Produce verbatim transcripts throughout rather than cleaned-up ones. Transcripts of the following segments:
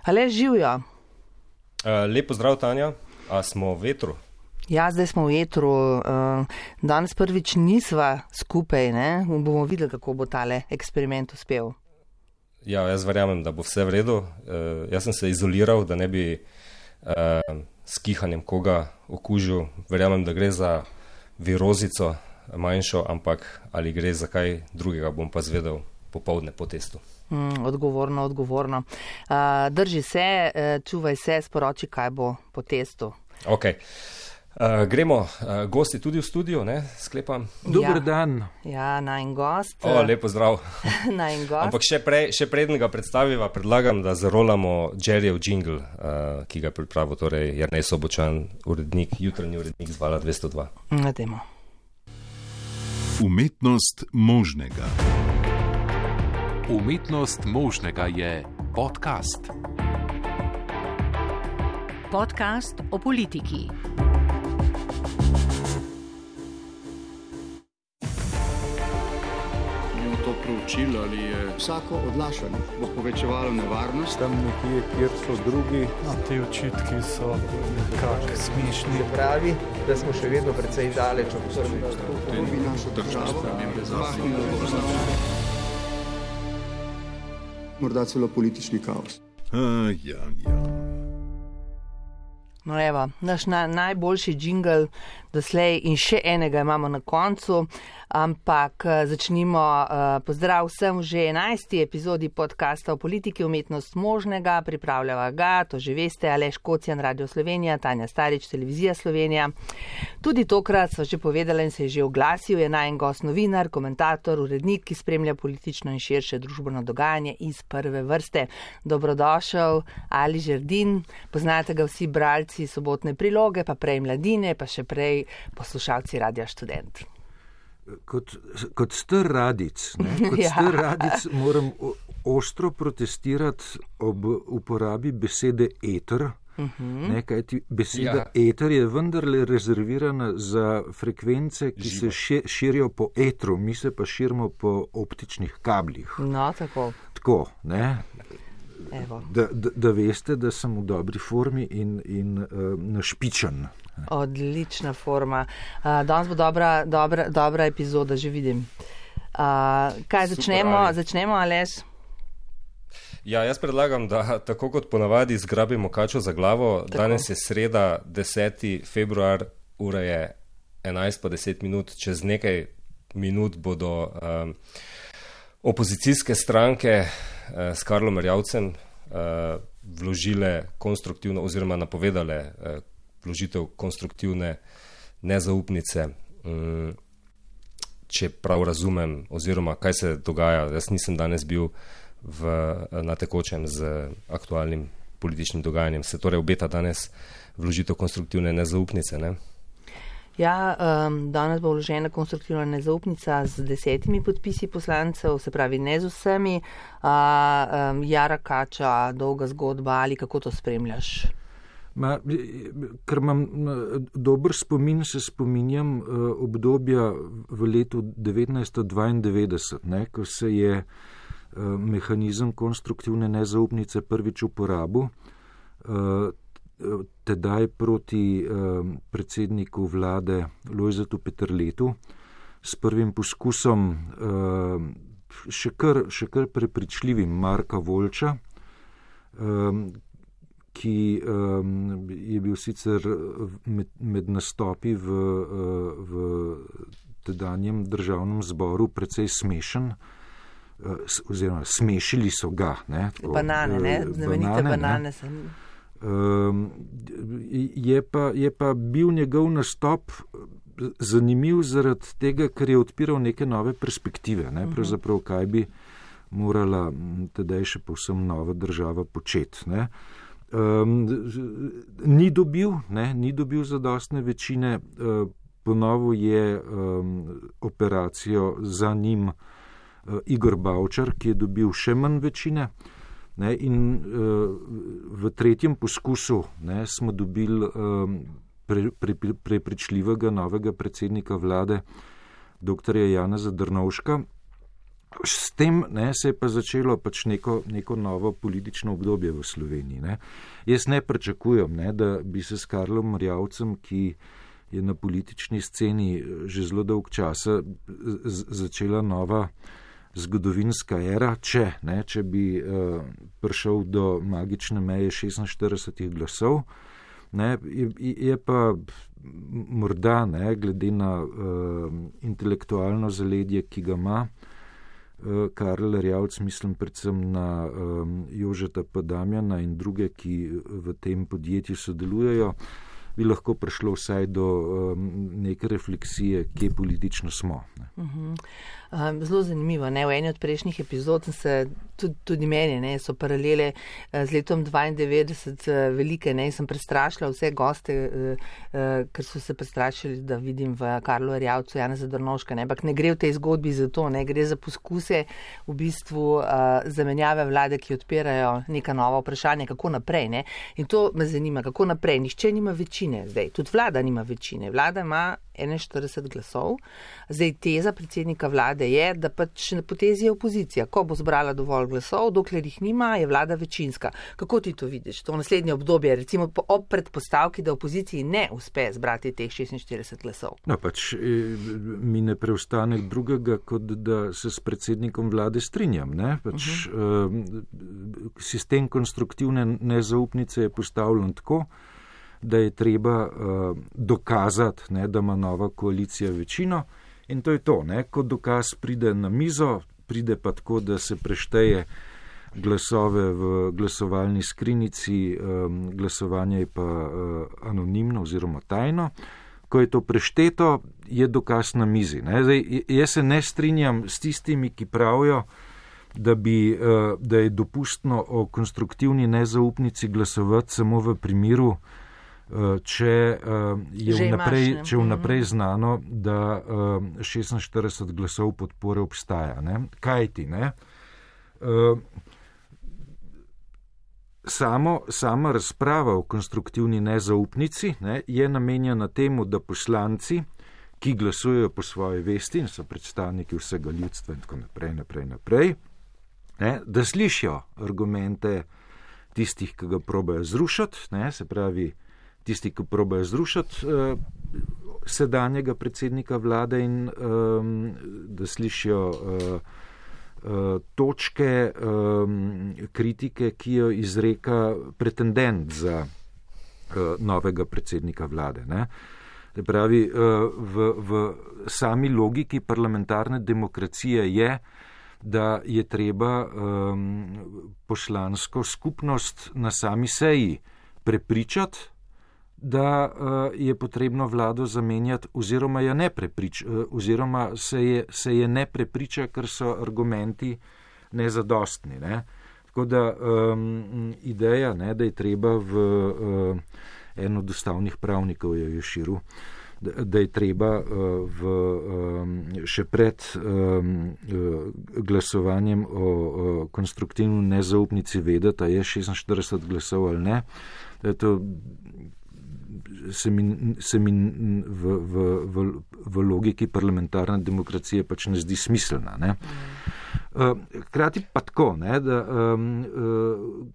Ale živijo. Uh, lep pozdrav, Tanja. A smo v etru? Ja, zdaj smo v etru. Uh, danes prvič nisva skupaj, ne? Bomo videli, kako bo tale eksperiment uspel. Ja, jaz verjamem, da bo vse v redu. Uh, jaz sem se izoliral, da ne bi uh, s kihanjem koga okužil. Verjamem, da gre za virozico manjšo, ampak ali gre za kaj drugega, bom pa zvedel popoldne po testu. Mm, odgovorno, odgovorno. Uh, drži se, uh, čuvaj se, sporoči, kaj bo po testu. Ok. Uh, gremo, uh, gosti tudi v studio, ne, sklepam. Dober Ja. dan. Ja, najin gost. O, lepo zdrav. Najin gost. Ampak še, prej, še predn ga predstaviva, predlagam, da zarolamo Jerryjev jingle, uh, ki ga je pripravil, torej Jernej Sobočan, urednik, jutranji urednik z Vala dvesto dva. Nademo. Umetnost možnega. Umetnost možnega je podcast. Podcast o politiki. Bomo to proučili, ali je vsako odlašanje bo povečevalo nevarnost. Tam nekje, kjer so drugi. No, te očitki so nekako smešni. Pravi, da smo še vedno precej daleč od prvega. To bi našo državo zmahnilo v označenje. Morda celo politični kaos. A, ja, ja. No evo, naš na, najboljši džingl doslej in še enega imamo na koncu, ampak začnimo. Pozdrav vsem v že enajsti epizodi podcasta o politiki umetnost možnega, pripravljava ga, to že veste, Aleš Kocjan, Radio Slovenija, Tanja Starič, Televizija Slovenija. Tudi tokrat sva že povedala in se je že oglasil, je najin gost novinar, komentator, urednik, ki spremlja politično in širše družbeno dogajanje iz prve vrste. Dobrodošel, Ali Žerdin, poznate ga vsi bralci Sobotne priloge, pa prej Mladine, pa še prej poslušalci Radia Študent. Kot, kot star radic, ne, kot Ja. star radic moram o, ostro protestirati ob uporabi besede eter, ne, kajti beseda Ja. eter je vendarle rezervirana za frekvence, ki se še, širijo po etru, mi se pa širimo po optičnih kablih. No, tako. Tako, ne, Evo. da, da, da veste, da sem v dobri formi in, in uh, našpičen. Odlična forma. Uh, danes bo dobra, dobra, dobra epizoda, že vidim. Uh, kaj Super, začnemo? Ali. Začnemo, Aleš? Ja, jaz predlagam, da tako kot ponavadi zgrabimo kačo za glavo. Tako. Danes je sreda, deseti februar, ura je enajst pa deset minut. Čez nekaj minut bodo um, opozicijske stranke uh, s Karlom Erjavcem uh, vložile konstruktivno oziroma napovedale uh, vložitev konstruktivne nezaupnice. Um, če prav razumem, oziroma kaj se dogaja, jaz nisem danes bil v, na tekočem z aktualnim političnim dogajanjem. Se torej obeta danes vložitev konstruktivne nezaupnice, ne? Ja, um, danes bo vložena konstruktivna nezaupnica z desetimi podpisi poslancev, se pravi ne z vsemi. Uh, um, Jara Kača, dolga zgodba, ali kako to spremljaš? Ma, ker imam dober spomin, se spominjam uh, obdobja v letu devetnajststo dvaindevetdeset, ne, ko se je uh, mehanizem konstruktivne nezaupnice prvič uporabil, uh, tedaj proti uh, predsedniku vlade Lojzetu Peterletu s prvim poskusom uh, še kar, še kar prepričljivim Marka Volča, uh, ki um, je bil sicer med, med nastopi v, v tedanjem državnem zboru precej smešen, oziroma smešili so ga. Ne, tako, Banane, ne? Znamenite banane, banane sem. Um, je, pa, je pa bil njegov nastop zanimiv zaradi tega, ker je odpiral neke nove perspektive, ne, pravzaprav kaj bi morala tedaj še povsem nova država početi, ne. Um, ni dobil, ne, ni dobil zadostne večine, uh, ponovil je um, operacijo za njim uh, Igor Bavčar, ki je dobil še manj večine, ne, in uh, v tretjem poskusu, ne, smo dobili um, pre, pre, prepričljivega novega predsednika vlade, doktorja Janeza Drnovška, S tem ne, se je pa začelo pač neko, neko novo politično obdobje v Sloveniji. Ne. Jaz ne pričakujem, ne, da bi se s Karlom Erjavcem, ki je na politični sceni že zelo dolg časa, z- začela nova zgodovinska era, če, ne, če bi uh, prišel do magične meje šestinštiridesetih glasov. Ne, je, je pa morda, ne, glede na uh, intelektualno zaledje, ki ga ima uh, Karl Erjavec, mislim predvsem na um, Jožeta P. Damjana in druge, ki v tem podjetju sodelujejo, bi lahko prišlo vsaj do um, neke refleksije, kje politično smo. Ne. Uh-huh. Um, zelo zanimivo. Ne? V eni od prejšnjih epizod se tudi, tudi meni ne, so paralele uh, z letom dvaindevetdeset uh, velike. Ne? Sem prestrašila vse goste, uh, uh, ker so se prestrašili, da vidim v Karlu Erjavcu Janeza Drnovška. Ne? Ampak ne gre v tej zgodbi za to, ne? Gre za poskuse v bistvu uh, zamenjave vlade, ki odpirajo neka nova vprašanja, kako naprej. Ne? In to me zanima, kako naprej. Nihče nima večine zdaj. Tudi vlada nima večine. Vlada ima enainštirideset glasov. Zdaj teza predsednika vlade je, da pač na potezi je opozicija. Ko bo zbrala dovolj glasov, dokler jih nima, je vlada večinska. Kako ti to vidiš? To naslednje obdobje, recimo ob predpostavki, da opoziciji ne uspe zbrati teh šestinštirideset glasov. No, pač mi ne preostane drugega, kot da se s predsednikom vlade strinjam. Ne? Pač, uh-huh. uh, sistem konstruktivne nezaupnice je postavljen tako, da je treba uh, dokazati, ne, da ima nova koalicija večino in to je to. Ne. Ko dokaz pride na mizo, pride pa tako, da se prešteje glasove v glasovalni skrinjici, um, glasovanje je pa uh, anonimno oziroma tajno. Ko je to prešteto, je dokaz na mizi. Ne. Zdaj, jaz se ne strinjam s tistimi, ki pravijo, da, bi, uh, da je dopustno o konstruktivni nezaupnici glasovati samo v primeru, če je vnaprej, če vnaprej znano, da šestinštirideset glasov podpore obstaja. Ne? Kaj ti? Ne? Samo, sama razprava o konstruktivni nezaupnici, ne, je namenjena temu, da poslanci, ki glasujejo po svoji vesti in so predstavniki vsega ljudstva in tako naprej, naprej, naprej, ne, da slišijo argumente tistih, ki ga probajo zrušiti, ne, se pravi, tisti, ki probajo zrušiti uh, sedanjega predsednika vlade in um, da slišijo uh, uh, točke um, kritike, ki jo izreka pretendent za uh, novega predsednika vlade. Ne? Se pravi, uh, v, v sami logiki parlamentarne demokracije je, da je treba um, poslansko skupnost na sami seji prepričati, da uh, je potrebno vlado zamenjati oziroma, je ne preprič, uh, oziroma se, je, se je ne prepriča, ker so argumenti nezadostni. Ne? Tako da um, ideja, ne, da je treba v uh, en od ustavnih pravnikov je Ješiru, da, da je treba uh, v, um, še pred um, glasovanjem o, o konstruktivni nezaupnici vedeti, a je šestinštirideset glasov ali ne. Da je to se mi, se mi v, v, v, v logiki parlamentarne demokracije pač ne zdi smiselna. Ne? Hkrati pa tako, ne, da um, uh,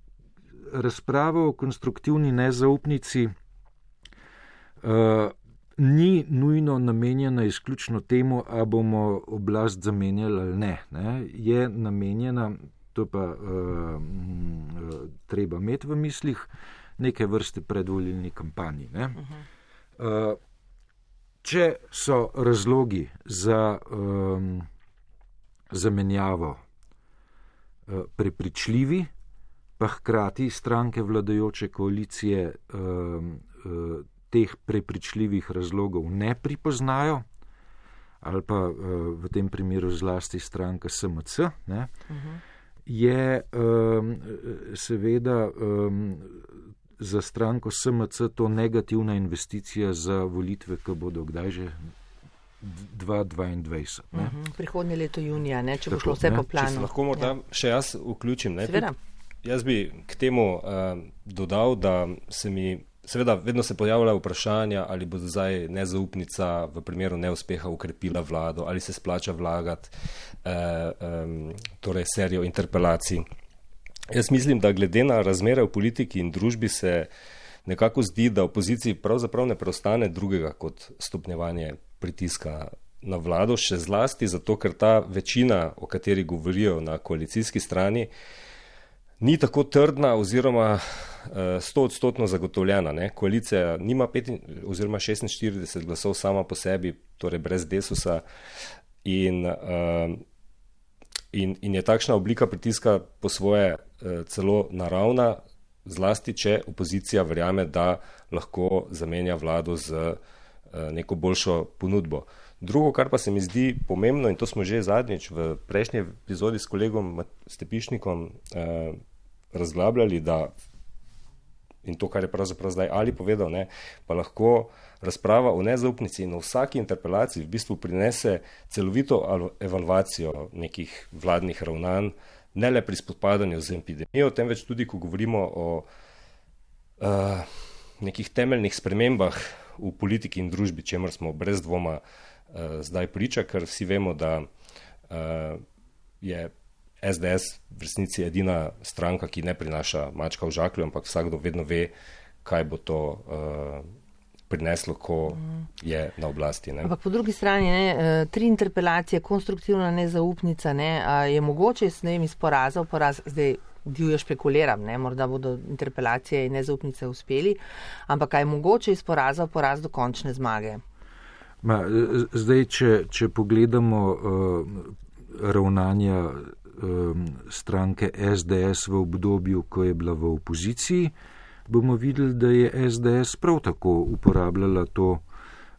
razprava o konstruktivni nezaupnici uh, ni nujno namenjena izključno temu, a bomo oblast zamenjali ali ne. ne? Je namenjena, to pa uh, uh, treba imeti v mislih, neke vrste predvolilni kampanji. Ne? Uh, če so razlogi za um, zamenjavo uh, prepričljivi, pa hkrati stranke vladajoče koalicije um, uh, teh prepričljivih razlogov ne pripoznajo, ali pa uh, v tem primeru zlasti stranka S M C, ne? Uh-huh. je um, seveda um, za stranko S M C to negativna investicija za volitve, ki bodo kdaj že dva tisoč dvaindvajset. Ne? Uh-huh. Prihodnje leto junija, ne? Če bo šlo vse po planu. Če se lahko morda ja. še jaz vključim. Ne? Seveda. Jaz bi k temu uh, dodal, da se mi seveda vedno se pojavljajo vprašanja, ali bo zdaj nezaupnica v primeru neuspeha ukrepila vlado, ali se splača vlagati eh, eh, torej serijo interpelacij. Jaz mislim, da glede na razmere v politiki in družbi se nekako zdi, da opoziciji pravzaprav ne preostane drugega kot stopnjevanje pritiska na vlado, še zlasti zato, ker ta večina, o kateri govorijo na koalicijski strani, ni tako trdna oziroma sto odstotno zagotovljena. Ne? Koalicija nima pet oziroma šestinštirideset glasov sama po sebi, torej brez Desusa, in, in, in je takšna oblika pritiska po svoje celo naravna, zlasti če opozicija verjame, da lahko zamenja vlado z neko boljšo ponudbo. Drugo, kar pa se mi zdi pomembno, in to smo že zadnjič v prejšnji epizodi s kolegom Stepišnikom eh, razglabljali, da, in to, kar je pravzaprav zdaj Ali povedal, ne, pa lahko razprava o nezaupnici in o vsaki interpelaciji v bistvu prinese celovito evalvacijo nekih vladnih ravnanj, ne le pri spopadanju z epidemijo, temveč tudi, ko govorimo o uh, nekih temeljnih spremembah v politiki in družbi, čemer smo brez dvoma uh, zdaj priča, ker vsi vemo, da uh, je es de es v resnici edina stranka, ki ne prinaša mačka v žaklju, ampak vsakdo vedno ve, kaj bo to uh, prineslo, ko je na oblasti. Ne? Ampak po drugi strani, ne, tri interpelacije, konstruktivna nezaupnica, ne, je mogoče, ne vem, iz poraza v poraz, zdaj divjo špekuliram, ne, morda bodo interpelacije in nezaupnice uspeli, ampak je mogoče iz poraza v poraz do končne zmage? Ma, zdaj, če, če pogledamo uh, ravnanja uh, stranke es de es v obdobju, ko je bila v opoziciji, bomo videli, da je es de es prav tako uporabljala to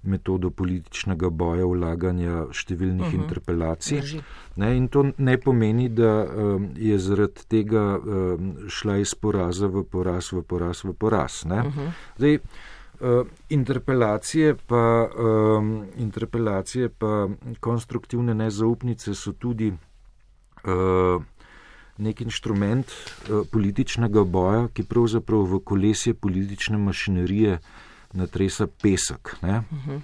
metodo političnega boja, vlaganja številnih uh-huh. interpelacij. Ne, in to ne pomeni, da um, je zaradi tega um, šla iz poraza v poraz, v poraz, v poraz. Ne. Uh-huh. Zdaj, uh, interpelacije, pa, um, interpelacije pa konstruktivne nezaupnice so tudi uh, nek inštrument uh, političnega boja, ki pravzaprav v kolesje politične mašinerije natresa pesek. Ne? Uh-huh.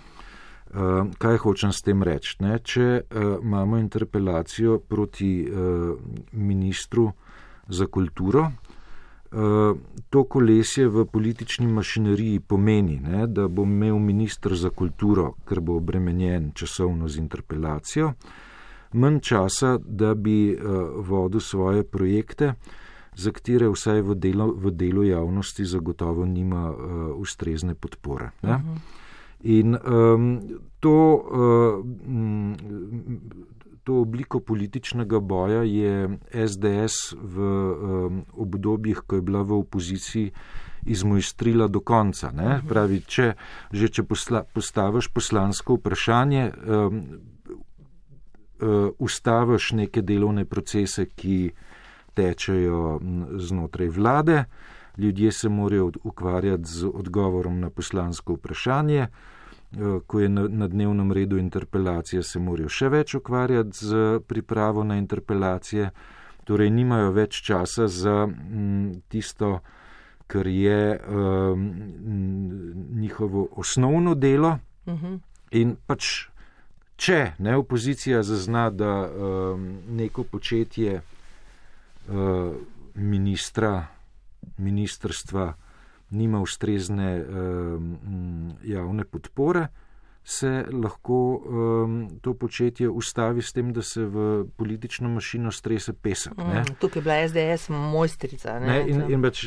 Uh, kaj hočem s tem reči? Ne? Če uh, imamo interpelacijo proti uh, ministru za kulturo, uh, to kolesje v politični mašineriji pomeni, ne, da bo imel minister za kulturo, ker bo obremenjen časovno z interpelacijo, manj časa, da bi uh, vodil svoje projekte, za katere vsaj v delu, v delu javnosti zagotovo nima uh, ustrezne podpore. Ne? Uh-huh. In um, to, uh, to obliko političnega boja je es de es v um, obdobjih, ko je bila v opoziciji, izmojstrila do konca. Ne? Uh-huh. Pravi, če, že če posla, postaviš poslansko vprašanje, um, Uh, ustaviš neke delovne procese, ki tečejo znotraj vlade, ljudje se morajo ukvarjati z odgovorom na poslansko vprašanje, uh, ko je na, na dnevnem redu interpelacije, se morajo še več ukvarjati z pripravo na interpelacije, torej nimajo več časa za m, tisto, kar je um, njihovo osnovno delo. Uh-huh. In pač če ne, opozicija zazna, da um, neko početje uh, ministra, ministrstva nima ustrezne um, javne podpore, se lahko um, to početje ustavi s tem, da se v politično mašino strese pesek. Mm, tukaj je bila es de es mojstrica. Ne? Ne, in, in bač,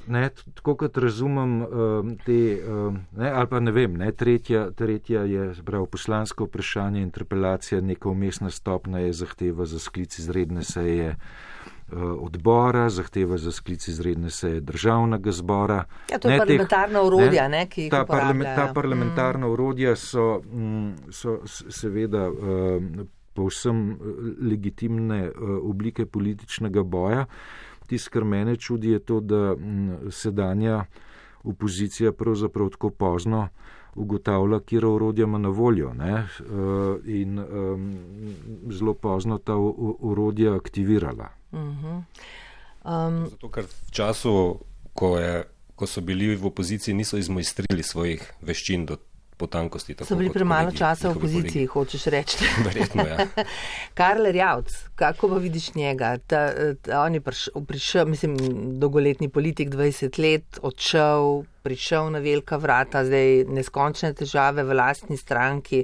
ne, tako kot razumem um, te, um, ne, ali pa ne vem, ne, tretja, tretja je prav poslansko vprašanje, interpelacija, neka umestna stopna je zahteva za sklic izredne seje odbora, zahteva za sklic izredne seje državnega zbora. Ja, to je ne, parlamentarna teh, orodja, ne, ne, ki jih ta uporabljajo. Ta parlamentarna mm. orodja so, so seveda povsem legitimne oblike političnega boja. Tisto, kar mene čudi, je to, da sedanja opozicija pravzaprav tako pozno ugotavlja, kjer orodja ima na voljo, ne, in um, zelo pozno ta orodja aktivirala. Uh-huh. Um, Zato, ker v času, ko je ko so bili v opoziciji, niso izmojstrili svojih veščin do potankosti. So bili premalo časa v opoziciji, hočeš reči. Verjetno, ja. Karl Erjavec, kako pa vidiš njega? Ta, ta, on je prišel, prišel, mislim, dolgoletni politik, dvajset let, odšel, prišel na velika vrata, zdaj neskončne težave v lastni stranki.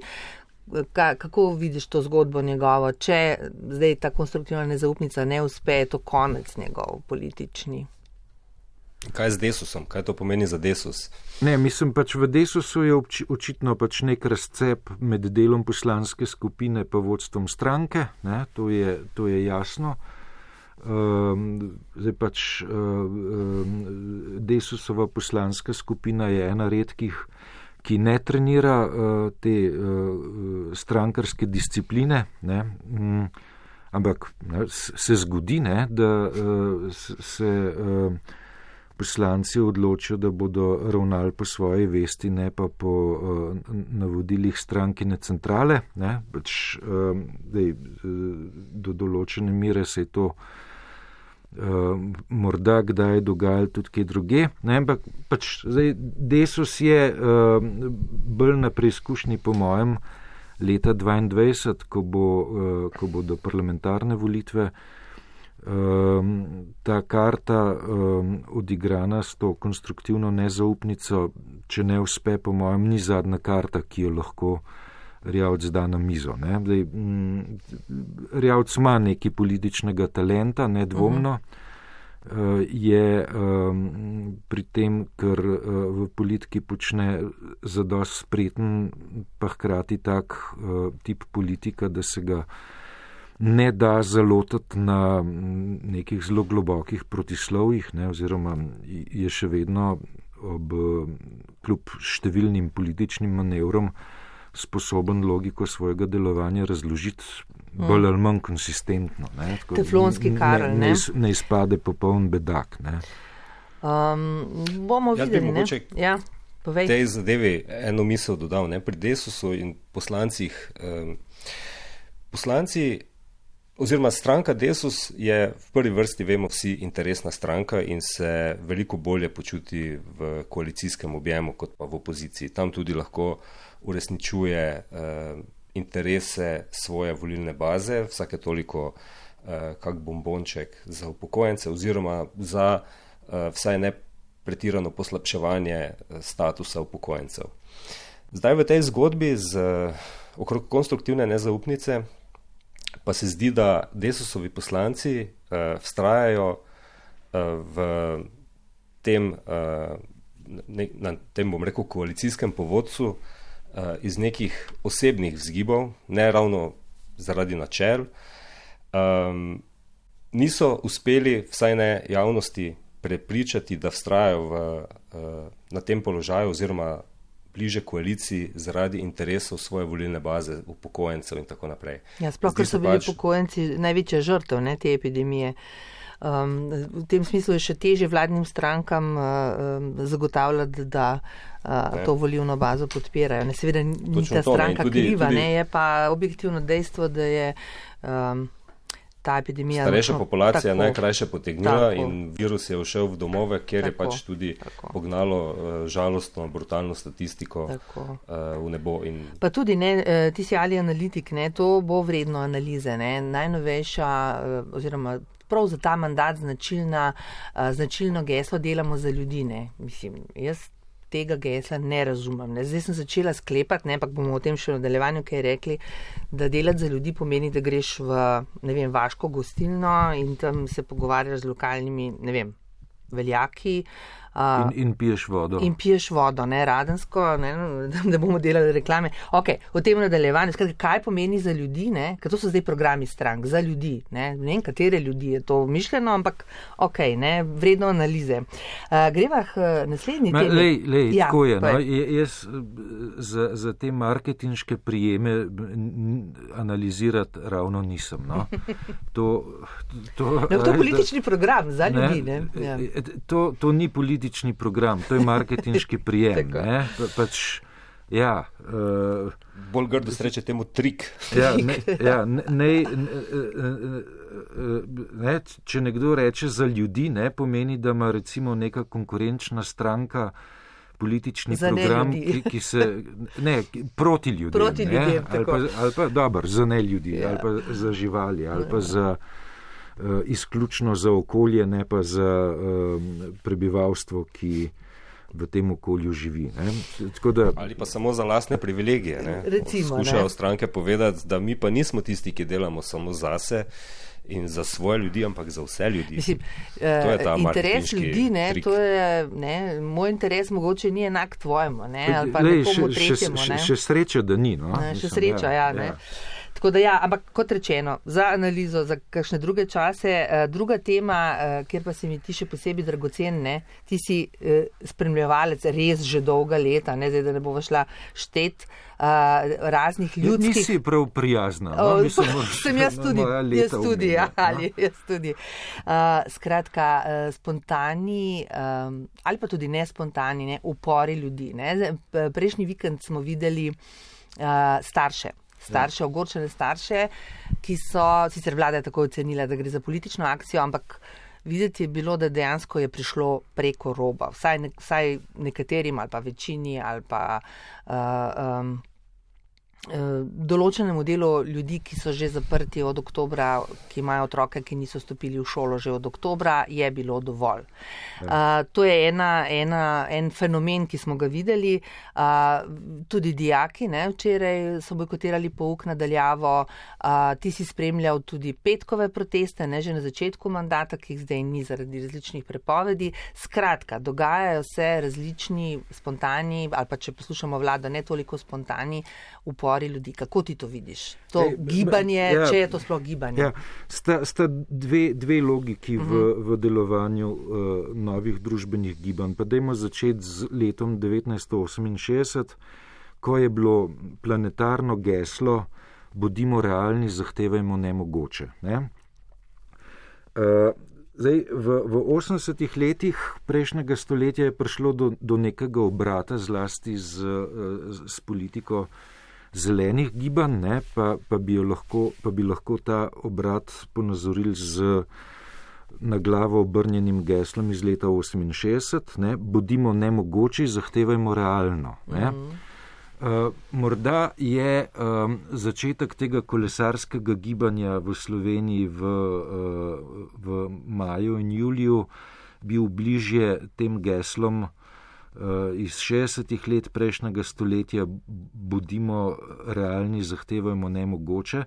Ka, kako vidiš to zgodbo njegovo? Če zdaj ta konstruktivna nezaupnica ne uspe, je to konec njegov politični. Kaj je z Desusom? Kaj to pomeni za Desus? Ne, mislim pač v Desusu je obči, očitno pač nek razcep med delom poslanske skupine pa vodstvom stranke, ne, to je, to je jasno. Um, zdaj pač um, Desusova poslanska skupina je ena redkih, ki ne trenira uh, te uh, strankarske discipline, ne, um, ampak ne, se zgodi, ne, da uh, se uh, poslanci odločijo, da bodo ravnali po svoji vesti, ne pa po uh, navodilih strankine centrale. Ne? Pač, uh, dej, do določene mere se je to uh, morda kdaj dogajalo tudi kje druge. Ne? Ampak pač, zdaj, Desus je uh, bolj na preizkušnji po mojem leta dvaindvajset, ko, bo, uh, ko bodo parlamentarne volitve. Um, ta karta um, odigrana s to konstruktivno nezaupnico, če ne uspe, po mojem, ni zadnja karta, ki jo lahko Erjavec da na mizo. Ne? Dej, mm, Erjavec ima nekaj političnega talenta, nedvomno, uh-huh. uh, je um, pri tem, ker uh, v politiki počne zadost spreten, pa hkrati tak uh, tip politika, da se ga ne da zalotati na nekih zelo globokih protislovjih, ne, oziroma je še vedno ob kljub številnim političnim manevrom sposoben logiko svojega delovanja razložiti mm. bolj ali manj konsistentno. Ne, Teflonski Karl, ne? Ne, ne izpade popoln bedak. Ne. Um, bomo Jaz videli, bi mogoče ja, povej. Tej zadevi eno misel dodal, ne, pri Desusu in poslancih. Um, poslanci oziroma stranka Desus je v prvi vrsti, vemo vsi, interesna stranka in se veliko bolje počuti v koalicijskem objemu kot pa v opoziciji. Tam tudi lahko uresničuje uh, interese svoje volilne baze, vsake toliko uh, kak bombonček za upokojence oziroma za uh, vsaj ne pretirano poslabševanje statusa upokojencev. Zdaj v tej zgodbi z uh, okrog konstruktivne nezaupnice pa se zdi, da Desusovi poslanci uh, vztrajajo uh, v tem, uh, ne, na tem, bom rekel, koalicijskem povodcu uh, iz nekih osebnih vzgibov, ne ravno zaradi načel, um, niso uspeli, vsaj ne javnosti, prepričati, da vztrajajo v, uh, na tem položaju oziroma bliže koaliciji zaradi interesov svoje volilne baze, upokojencev in tako naprej. Ja, sploh, ker so bili pač upokojenci največja žrtev, ne, te epidemije. Um, v tem smislu je še teže vladnim strankam uh, zagotavljati, da uh, to volilno bazo podpirajo. Ne, seveda ni ta stranka tudi, kriva, tudi, ne, je pa objektivno dejstvo, da je um, ta epidemija starejša populacija tako, najkrajše potegnila tako. In virus je všel v domove, kjer tako, je pač tudi tako. Pognalo uh, žalostno, brutalno statistiko uh, v nebo. In pa tudi, ne, ti si ali analitik, ne, to bo vredno analize, ne, najnovejša uh, oziroma prav za ta mandat značilna, uh, značilno geslo delamo za ljudi, ne, mislim, jaz tega gesla ne razumem. Ne. Zdaj sem začela sklepati, ne, ampak bomo o tem še v nadaljevanju kaj rekli, da delati za ljudi pomeni, da greš v, ne vem, vaško gostilno in tam se pogovarjaš z lokalnimi, ne vem, veljaki. Uh, in, in piješ vodo. In piješ vodo, ne, radensko, ne, da bomo delali reklame. Ok, o tem nadaljevanju, skratka, kaj pomeni za ljudi, ne, ker to so zdaj programi strank, za ljudi, ne, ne vem, katere ljudi je to mišljeno, ampak ok, ne, vredno analize. Uh, greva k naslednji temi. Lej, lej, ja, tako je, no, jaz za, za te marketinške prijeme analizirati ravno nisem, no. To, to, no, to je politični da, program za ljudi, ne. ne? Ja. To, to ni politični program, to je marketinški prijem. Pa, pač, Ja, uh, bolj grdo se reče temu trik. Ja, ne, ja, ne, ne, ne, ne, če nekdo reče za ljudi, ne pomeni, da ima recimo neka konkurenčna stranka politični za program, ki, ki se ne, proti ljudem, proti ljudem ali pa, ali pa dober, za ne ljudi, ja. ali pa za živali, ali pa za uh, izključno za okolje, ne pa za uh, prebivalstvo, ki v tem okolju živi. Da, ali pa samo za lastne privilegije. Ne? Recimo, skušajo ne? stranke povedati, da mi pa nismo tisti, ki delamo samo zase in za svoje ljudi, ampak za vse ljudi. Mislim, to je ta interes ljudi, ne, to je, ne, moj interes mogoče ni enak tvojemu, ne, ali pa Lej, nekomu še, tretjemu. Še, še sreča, da ni. No? Ne, še Mislim, sreča, ja. ja, ne. ja. Tako da ja, ampak kot rečeno, za analizo, za kakšne druge čase, druga tema, kjer pa se mi ti še posebej dragocen, ne, ti si spremljevalec res že dolga leta, ne, zdaj, da ne bova šla štet raznih ljudskih... Nisi prav prijazna. No? O, Mislim, sem jaz tudi, jaz tudi, ja, ali jaz tudi. Uh, skratka, uh, spontani um, ali pa tudi nespontani, ne, upori ljudi. Ne. Prejšnji vikend smo videli uh, starše. starše, ogorčene starše, ki so, sicer vlada je tako ocenila, da gre za politično akcijo, ampak videti je bilo, da dejansko je prišlo preko roba, vsaj, ne, vsaj nekaterim ali pa večini ali pa uh, um, določenemu delu ljudi, ki so že zaprti od oktobra, ki imajo otroke, ki niso stopili v šolo že od oktobra, je bilo dovolj. Uh, to je ena, ena, en fenomen, ki smo ga videli. Uh, tudi dijaki, ne, včeraj so bojkotirali pouk nadaljavo. Uh, ti si spremljal tudi petkove proteste, ne, že na začetku mandata, ki jih zdaj ni zaradi različnih prepovedi. Skratka, dogajajo se različni spontani, ali pa če poslušamo vlado, ne toliko spontani upori ljudi. Kako ti to vidiš? To Ej, gibanje, ja, če je to sploh gibanje? Ja, sta sta dve, dve logiki uh-huh. v, v delovanju uh, novih družbenih gibanj. Pa dajmo začeti z letom devetnajststo oseminšestdeset, ko je bilo planetarno geslo bodimo realni, zahtevajmo nemogoče. Ne? Uh, zdaj, v, v osemdesetih letih prejšnjega stoletja je prišlo do, do nekega obrata zlasti z, z, z politiko zelenih gibanj, ne, pa, pa, bi lahko, pa bi lahko ta obrat ponazorili z na glavo obrnjenim geslom iz leta oseminšestdeset, ne, bodimo nemogoči, zahtevajmo realno. Ne. Uh, morda je um, začetek tega kolesarskega gibanja v Sloveniji v, uh, v maju in juliju bil bližje tem geslom iz šestdesetih let prejšnjega stoletja bodimo realni, zahtevajmo nemogoče.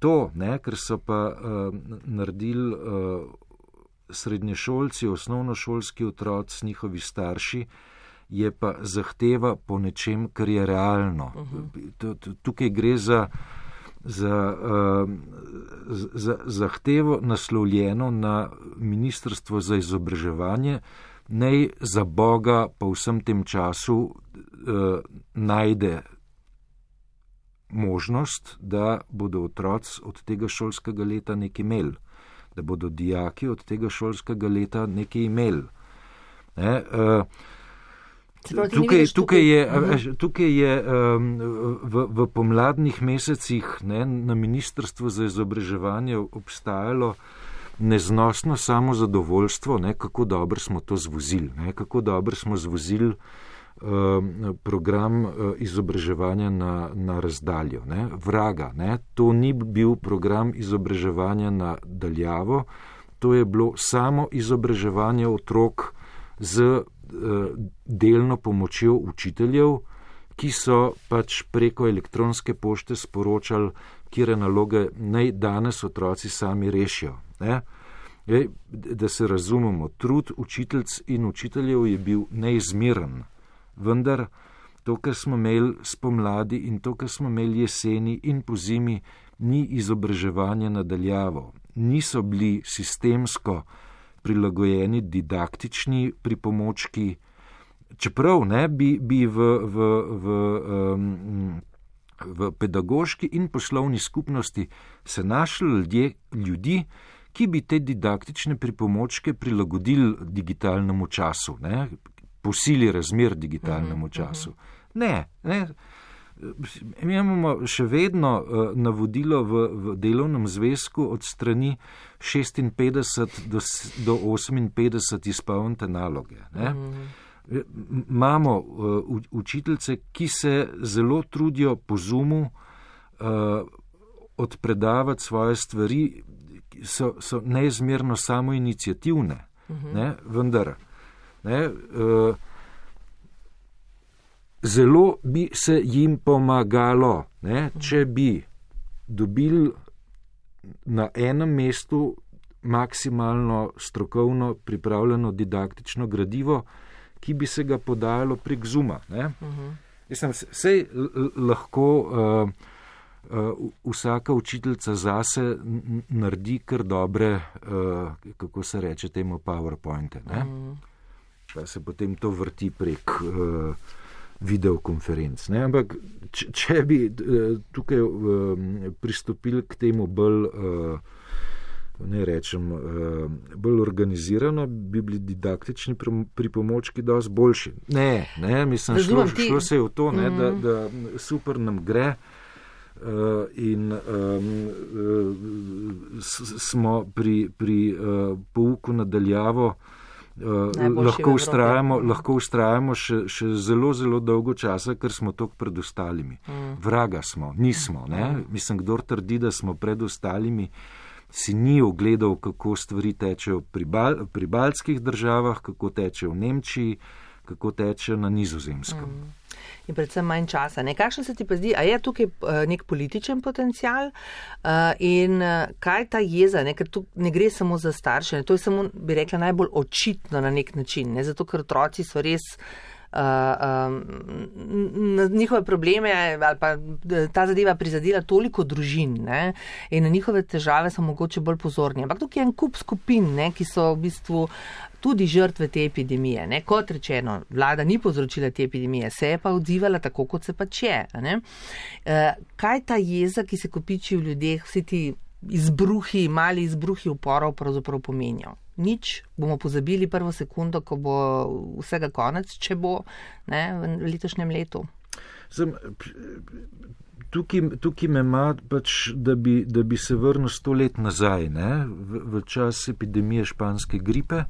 To, ne, ker so pa uh, naredili uh, srednješolci, osnovnošolski otroci, njihovi starši, je pa zahteva po nečem, kar je realno. Uh-huh. Tukaj gre za, za, uh, za zahtevo naslovljeno na Ministrstvo za izobraževanje, naj za Boga pa v vsem tem času uh, najde možnost, da bodo otroci od tega šolskega leta nekaj imeli, da bodo dijaki od tega šolskega leta nekaj imeli. Ne, uh, tukaj, tukaj je, tukaj je um, v, v pomladnih mesecih, ne, na Ministrstvu za izobraževanje obstajalo neznosno samozadovoljstvo, ne, kako dobro smo to zvozili, ne, kako dobro smo zvozili um, program uh, izobraževanja na, na razdaljo. Ne, vraga, ne, to ni bil program izobraževanja na daljavo, to je bilo samo izobraževanje otrok z uh, delno pomočjo učiteljev, ki so pač preko elektronske pošte sporočali, kire naloge naj danes otroci sami rešijo. Ne? Ej, da se razumemo, trud učiteljc in učiteljev je bil neizmeren, vendar to, kar smo imeli spomladi in to, kar smo imeli jeseni in pozimi, ni izobraževanje nadaljavo. Niso bili sistemsko prilagojeni didaktični pripomočki, čeprav ne, bi, bi v, v, v um, v pedagoški in poslovni skupnosti se našli ljudje, ljudi, ki bi te didaktične pripomočke prilagodili digitalnemu času, ne, po sili razmer digitalnemu času. Ne, ne. Mi imamo še vedno uh, navodilo v, v delovnem zvezku od strani šestinpetdeset do, do oseminpetdeset izpolnite naloge. Ne? Mm. Imamo uh, učiteljice, ki se zelo trudijo po Zoomu uh, odpredavati svoje stvari, so, so neizmerno samoiniciativne, mm-hmm. ne? Vendar ne, uh, zelo bi se jim pomagalo, ne, če bi dobili na enem mestu maksimalno strokovno pripravljeno didaktično gradivo, ki bi se ga podajalo prek Zooma. Ne. Uh-huh. Mislim, sej lahko uh, uh, vsaka učiteljica zase n- naredi kar dobre, uh, kako se reče temu, PowerPointe. Ne. Uh-huh. Pa se potem to vrti prek uh, videokonferenc. Ne? Ampak, če, če bi tukaj uh, pristopili k temu bolj, uh, ne rečem, uh, bolj organizirano, bi bili didaktični pripomočki dosti boljši. Ne, ne, mislim, šlo, šlo se je v to, ne, mm. da, da super nam gre uh, in um, uh, smo pri, pri uh, pouku nadaljavo Uh, lahko ustrajamo, lahko ustrajamo še, še zelo, zelo dolgo časa, ker smo toliko pred ostalimi. Mm. Vraga smo, nismo. Ne? Mm. Mislim, kdor trdi, da smo pred ostalimi, si ni ogledal, kako stvari tečejo pri, bal, pri baltskih državah, kako tečejo v Nemčiji, kako tečejo na Nizozemskem. Mm. In predvsem manj časa. Ne? Kakšno se ti pa zdi, a je tukaj uh, nek političen potencial uh, in uh, kaj ta jeza, ne? Ker tu ne gre samo za starše, ne? To je samo, bi rekla, najbolj očitno na nek način, ne? Zato ker otroci so res uh, um, na njihove probleme ali pa ta zadeva prizadela toliko družin, ne? In na njihove težave so mogoče bolj pozorni. Ampak tukaj je en kup skupin, ne? Ki so v bistvu tudi žrtve te epidemije. Ne? Kot rečeno, vlada ni povzročila te epidemije, se je pa odzivala tako, kot se pač je. Ne? E, kaj ta jeza, ki se kopiči v ljudeh, vsi ti izbruhi, mali izbruhi uporov pravzaprav pomenijo? Nič, bomo pozabili prvo sekundo, ko bo vsega konec, če bo, ne, v letošnjem letu. Zem, tukaj, tukaj me ima pač, da bi, da bi se vrnil sto let nazaj, ne? V, v čas epidemije španske gripe.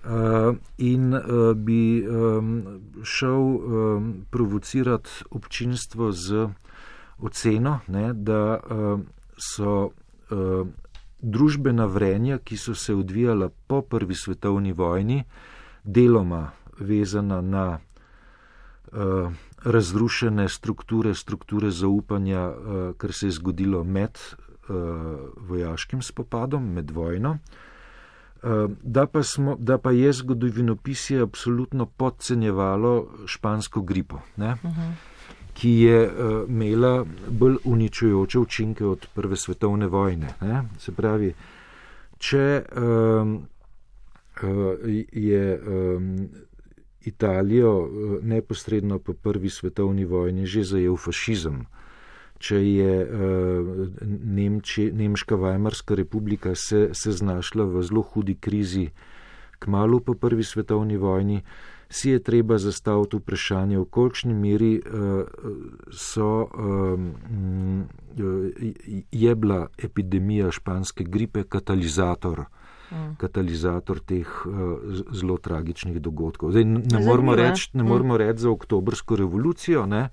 Uh, in uh, bi um, šel um, provocirati občinstvo z oceno, ne, da uh, so uh, družbena vrenja, ki so se odvijala po prvi svetovni vojni, deloma vezana na uh, razrušene strukture, strukture zaupanja, uh, kar se je zgodilo med uh, vojaškim spopadom, med vojno. Da pa, smo, da pa je zgodovinopisje absolutno podcenjevalo špansko gripo, ne? Uh-huh. Ki je uh, imela bolj uničujoče učinke od prve svetovne vojne. Ne? Se pravi, če um, uh, je um, Italijo uh, neposredno po prvi svetovni vojni že zajel fašizem, če je uh, Nemči, Nemška Weimarska republika se, se znašla v zelo hudi krizi kmalu po prvi svetovni vojni, si je treba zastaviti vprašanje, v kolikšni meri uh, so, um, je bila epidemija španske gripe katalizator, mm. katalizator teh uh, zelo tragičnih dogodkov. Zdaj, ne moramo reči mm. reč za oktobrsko revolucijo, ne?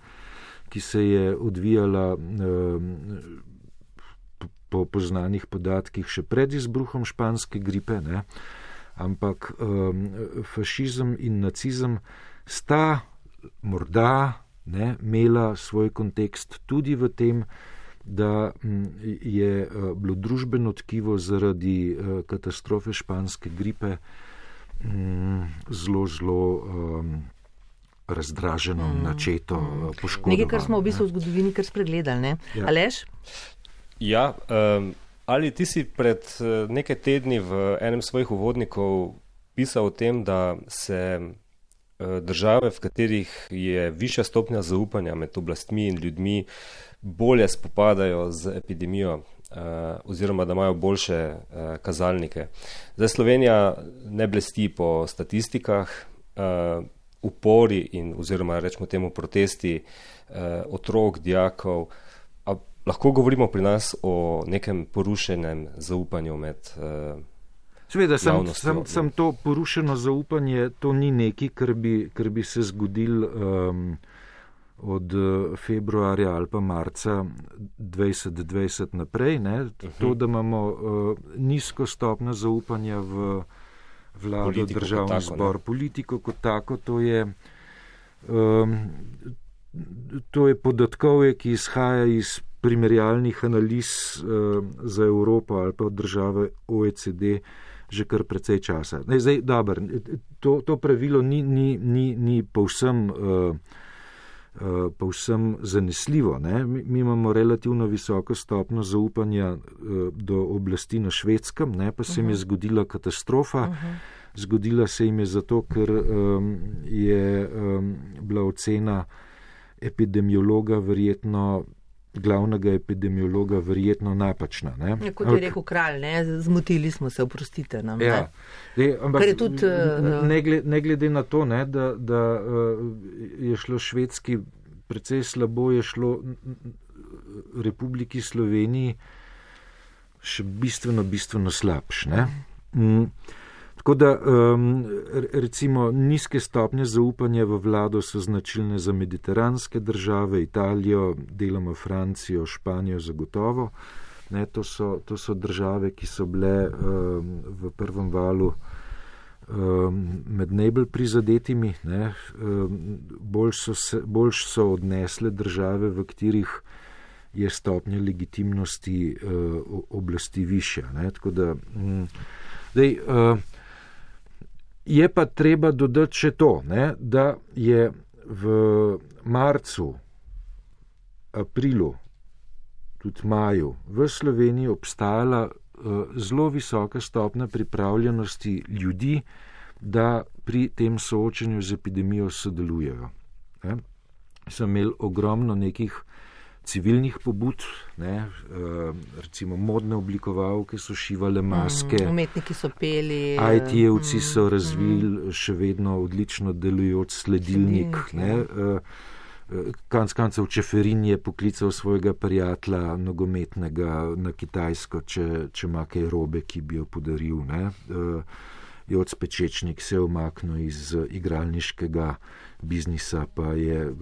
Ki se je odvijala po poznanih podatkih še pred izbruhom španske gripe, ne? Ampak um, fašizem in nacizem sta morda ne, imela svoj kontekst tudi v tem, da m, je uh, bilo družbeno tkivo zaradi uh, katastrofe španske gripe m, zelo, zelo um, razdraženo, mm. načeto, mm. poškodovano. Nekaj, kar smo v bistvu v zgodovini kar spregledali, ne? Ja. Aleš? Ja, um, ali ti si pred nekaj tedni v enem svojih uvodnikov pisal o tem, da se uh, države, v katerih je višja stopnja zaupanja med oblastmi in ljudmi, bolje spopadajo z epidemijo uh, oziroma da imajo boljše uh, kazalnike. Zdaj Slovenija ne blesti po statistikah, uh, upori in oziroma rečemo temu protesti uh, otrok, dijakov. A lahko govorimo pri nas o nekem porušenem zaupanju med uh, Seveda, sem, sem, sem to porušeno zaupanje, to ni nekaj, kar bi, kar bi se zgodil um, od februarja ali pa marca dvajset dvajset naprej. Ne? To, da imamo uh, nizko stopnjo zaupanja v vlado, politiko državni tako, zbor, ne? Politiko kot tako, to je, um, to je podatkovje, ki izhaja iz primerjalnih analiz uh, za Evropo ali pa od države O E C D že kar precej časa. Ne, zdaj, dober, to, to pravilo ni, ni, ni, ni povsem, uh, uh, povsem zanesljivo. Ne? Mi, mi imamo relativno visoko stopno zaupanja uh, do oblasti na Švedskem, ne? Pa se jim je zgodila katastrofa. Uh-huh. Zgodila se jim je zato, ker um, je um, bila ocena epidemiologa verjetno glavnega epidemiologa verjetno napačna. Ne? Ja, kot je rekel kralj, ne? Zmotili smo se, oprostite nam. Ja. Ne? Ampak, je tudi, uh, ne, glede, ne glede na to, ne, da, da uh, je šlo Švedski precej slabo, je šlo Republiki Sloveniji še bistveno, bistveno slabš. Ne? Mm. Tako da, um, recimo, nizke stopnje zaupanja v vlado so značilne za mediteranske države, Italijo, deloma Francijo, Španijo zagotovo. Ne, to, so, to so države, ki so bile um, v prvem valu um, med najbolj prizadetimi. Ne, um, bolj, so se, bolj so odnesle države, v katerih je stopnja legitimnosti uh, oblasti višja. Ne, tako da, um, dej, uh, je pa treba dodati še to, ne, da je v marcu, aprilu, tudi maju v Sloveniji obstajala uh, zelo visoka stopnja pripravljenosti ljudi, da pri tem soočenju z epidemijo sodelujejo. Ne. So imeli ogromno nekih civilnih pobud, ne, recimo modne oblikovalke so šivale maske, mm, umetniki so peli, I T-jevci mm, so razvili mm. še vedno odlično delujoč sledilnik. sledilnik Konec koncev Čeferin je poklical svojega prijatelja nogometnega na Kitajsko, če, če ima kaj robe, ki bi jo podaril. Ne. Joc Pečečnik se je umaknil iz igralniškega biznisa, pa je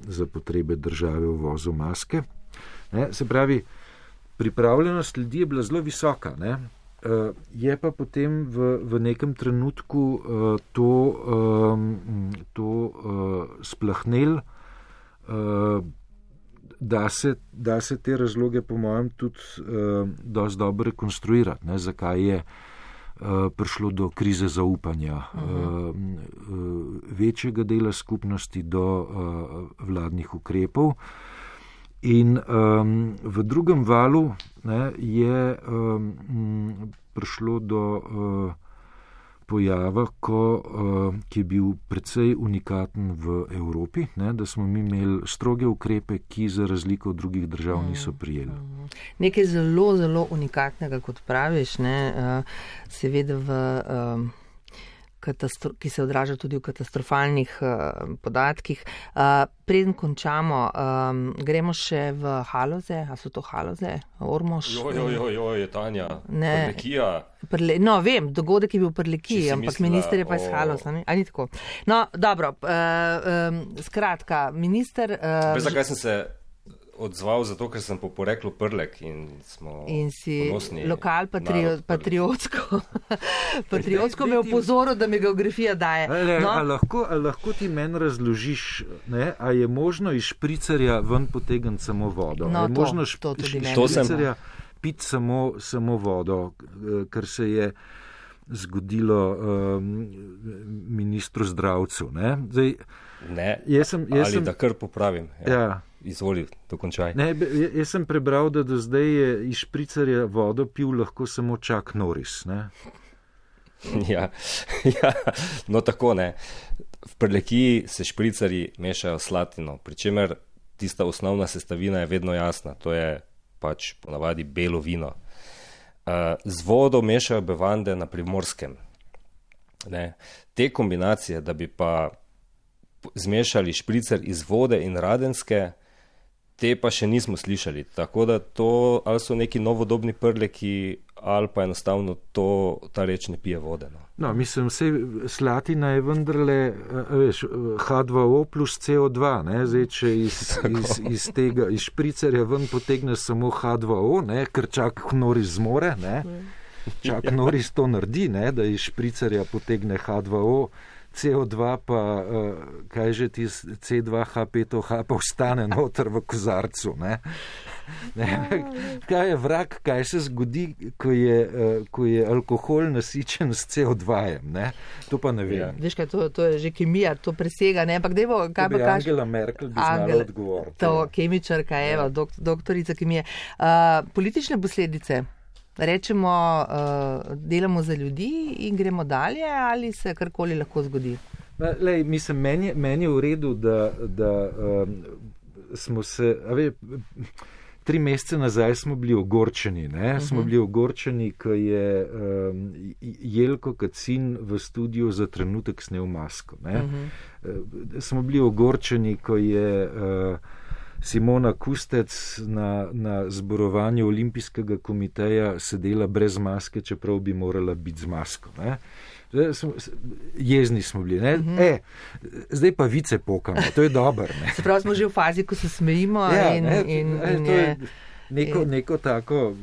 za potrebe države uvozil maske. Ne, se pravi, pripravljenost ljudi je bila zelo visoka. Ne. Je pa potem v, v nekem trenutku to, to splahnel, da se, da se te razloge po mojem tudi dosti dobro rekonstruirati, ne, zakaj je prišlo do krize zaupanja uh-huh. večjega dela skupnosti do vladnih ukrepov. In um, v drugem valu, ne, je um, prišlo do uh, pojava, ko, uh, ki je bil precej unikaten v Evropi, ne, da smo mi imeli stroge ukrepe, ki za razliko od drugih držav niso prijeli. Nekaj zelo, zelo unikatnega, kot praviš, ne, uh, seveda v, um, katastro- ki se odraža tudi v katastrofalnih uh, podatkih. Uh, preden končamo, um, gremo še v Haloze, a so to Haloze, Ormož? Jo, jo, jo, jo, je Tanja, Prlekija. Prle, no, vem, dogodek je bil v Prlekiji, ampak mislila, minister je pa iz Haloza, ne? A ni tako? No, dobro, uh, um, skratka, minister... Uh, Veš, zakaj sem se odzval, zato ker sem po poreklu Prlek in smo in si ponosni. Lokal patrio, patriotsko. Patriotsko me je upozoril, da mi geografija daje. Ale, no? a, lahko, a lahko ti meni razložiš, ne, a je možno iz špricerja ven potegniti samo vodo? No, a je to, možno to tudi iz špricerja piti samo, samo vodo, kar se je zgodilo um, ministru Zdravcu. Ne, Zdaj, ne jaz sem, jaz ali sem, da kar popravim. Ja. Ja. Izvoli, dokončaj. Ne, jaz sem prebral, da do zdaj je iz špricerja vodo pil lahko samo Chuck Norris. Ne? Ja, ja, no tako ne. V Prlekiji se špricarji mešajo slatino, pri čemer tista osnovna sestavina je vedno jasna, to je pač ponavadi belo vino. Z vodo mešajo bevande na Primorskem. Ne. Te kombinacije, da bi pa zmešali špricer iz vode in radenske, te pa še nismo slišali. Tako da to ali so neki novodobni prleki, ali pa enostavno to, ta reč ne pije vode. No, no mislim, vse slatina je vendarle, veš, H dva O plus C O dva, ne, zdaj, če iz, iz, iz tega, iz špricerja ven potegne samo H dva O, ne, ker čak Norris zmore, ne, čak Norris to naredi, ne, da iz špricerja potegne H dva O, C O dva pa, uh, kaj že ti C dva H pet O H pa ostane noter v kozarcu, ne. Ne, kaj je vrag, kaj se zgodi, ko je, uh, ko je alkohol nasičen s C O dva-jem, ne? To pa ne vem. Ja. Veš kaj, to, to je že kemija, to presega, ne? Ampak dejmo, kaj to bi pa kaš... Angela Merkel bi znala odgovoriti. To, kemičarka, evo, dok, doktorica kemije. Uh, politične posledice, rečemo, uh, delamo za ljudi in gremo dalje, ali se karkoli lahko zgodi? Lej, mislim, meni, meni je v redu, da, da um, smo se, a ve, tri mesece nazaj smo bili ogorčeni, ne? Uh-huh. Smo bili ogorčeni, ko je um, Jelko Kacin v studiu za trenutek snel masko, ne? Uh-huh. Uh, smo bili ogorčeni, ko je uh, Simona Kustec na, na zborovanju Olimpijskega komiteja sedela brez maske, čeprav bi morala biti z masko, ne? Smo, jezni smo bili, ne? Mm-hmm. E, zdaj pa vice pokamo, to je dobro, ne? Se pravi, smo že v fazi, ko se smejimo ja, in, ne, in, ne, in to je... je neko, neko tako,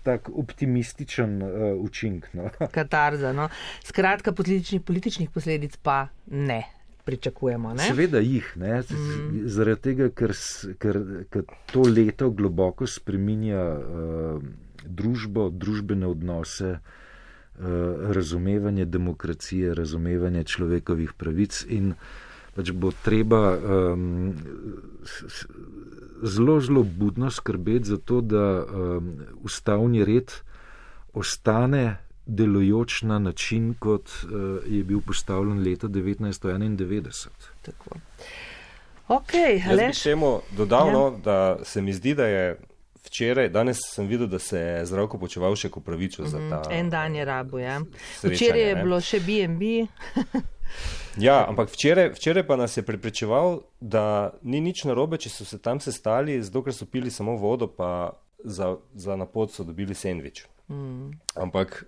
tak optimističen uh, učink, no? Katarza, no? Skratka, političnih, političnih posledic pa ne pričakujemo, ne? Seveda jih, ne? Mm. Zaradi tega, ker, ker, ker to leto globoko spreminja uh, družbo, družbene odnose, uh, razumevanje demokracije, razumevanje človekovih pravic in pač bo treba um, zelo, zelo budno skrbeti za to, da um, ustavni red ostane delujoč na način, kot uh, je bil postavljen leta devetnajststo enaindevetdeset. Tako. Okay, Jaz bi temu dodal, no, da se mi zdi, da je včeraj, danes sem videl, da se je Zdravko Počivalšek opravičil mm, za ta... En dan je rabo, ja. Včeraj je ne? bilo še B and B. Ja, ampak včeraj, včeraj pa nas je prepričeval, da ni nič narobe, če so se tam sestali, zato ker so pili samo vodo, pa za, za napot so dobili sendvič. Mm. Ampak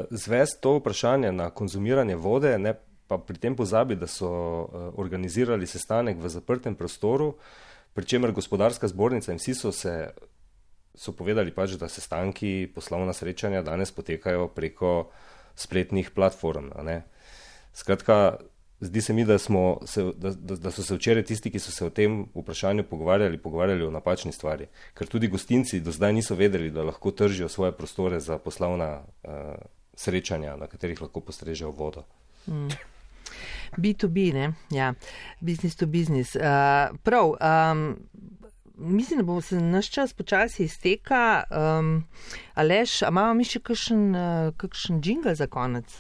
zvest to vprašanje na konzumiranje vode, ne, pa pri tem pozabi, da so uh, organizirali sestanek v zaprtem prostoru, pri čemer gospodarska zbornica in vsi so se so povedali pač, da sestanki, poslovna srečanja danes potekajo preko spletnih platform. Ne. Skratka, zdi se mi, da, smo se, da, da, da so se včeraj tisti, ki so se o tem vprašanju pogovarjali, pogovarjali o napačni stvari. Ker tudi gostinci do zdaj niso vedeli, da lahko tržijo svoje prostore za poslovna uh, srečanja, na katerih lahko postrežejo vodo. Mm. B to B, ne? Ja. Business to business. Uh, prav, um, mislim, da bo se naš čas počasi izteka. Um, Aleš, a imamo mi še kakšen, uh, kakšen džingl za konec?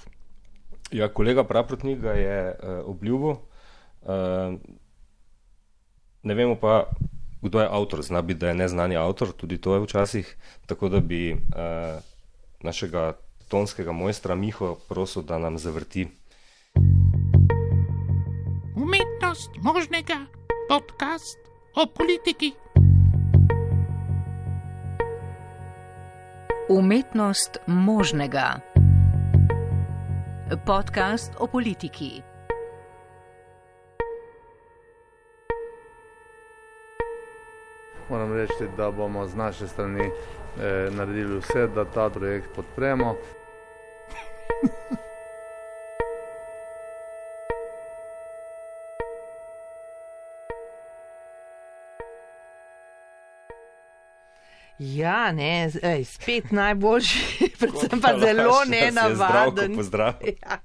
Ja, kolega Praprotnik ga je uh, obljubil. Uh, ne vemo pa, kdo je avtor. Zna biti, da je neznani avtor, tudi to je včasih. Tako da bi uh, našega tonskega mojstra Miho prosil, da nam zavrti. Umetnost možnega, podcast o politiki. Umetnost možnega. Podcast o politiki. Moram reči, da bomo z naše strani eh, naredili vse, da ta projekt podpremo. Ja, ne, ej, spet najboljši, predvsem pa zelo nenavaden. Ja.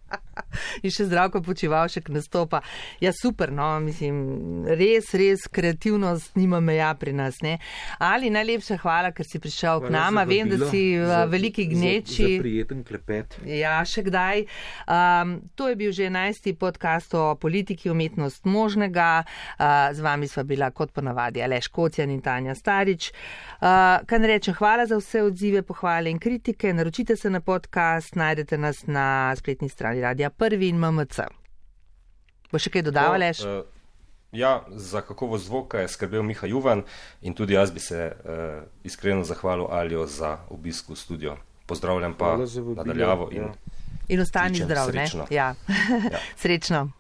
In še Zdravko Počivalšek nastopa. Ja, super, no, mislim, res, res kreativnost nima meja pri nas, ne. Ali najlepša hvala, ker si prišel hvala k nama, vem, da si v za, veliki gneči. Za, za prijeten klepet. Ja, še kdaj. Um, to je bil že enajsti podcast o politiki, umetnost možnega. Uh, z vami sva bila kot ponavadi Aleš Kocjan in Tanja Starič. Uh, kaj ne rečem, hvala za vse odzive, pohvale in kritike. Naročite se na podcast, najdete nas na spletni strani Radia Prvi in M M C. Bo še kaj dodavalaš? Uh, ja, za kakovost zvoka je skrbel Miha Juvan in tudi jaz bi se uh, iskreno zahvalil Alijo za obisk v studio. Pozdravljam pa nadaljavo in, in ostani zdrav, ne? Ja. Ja. Srečno.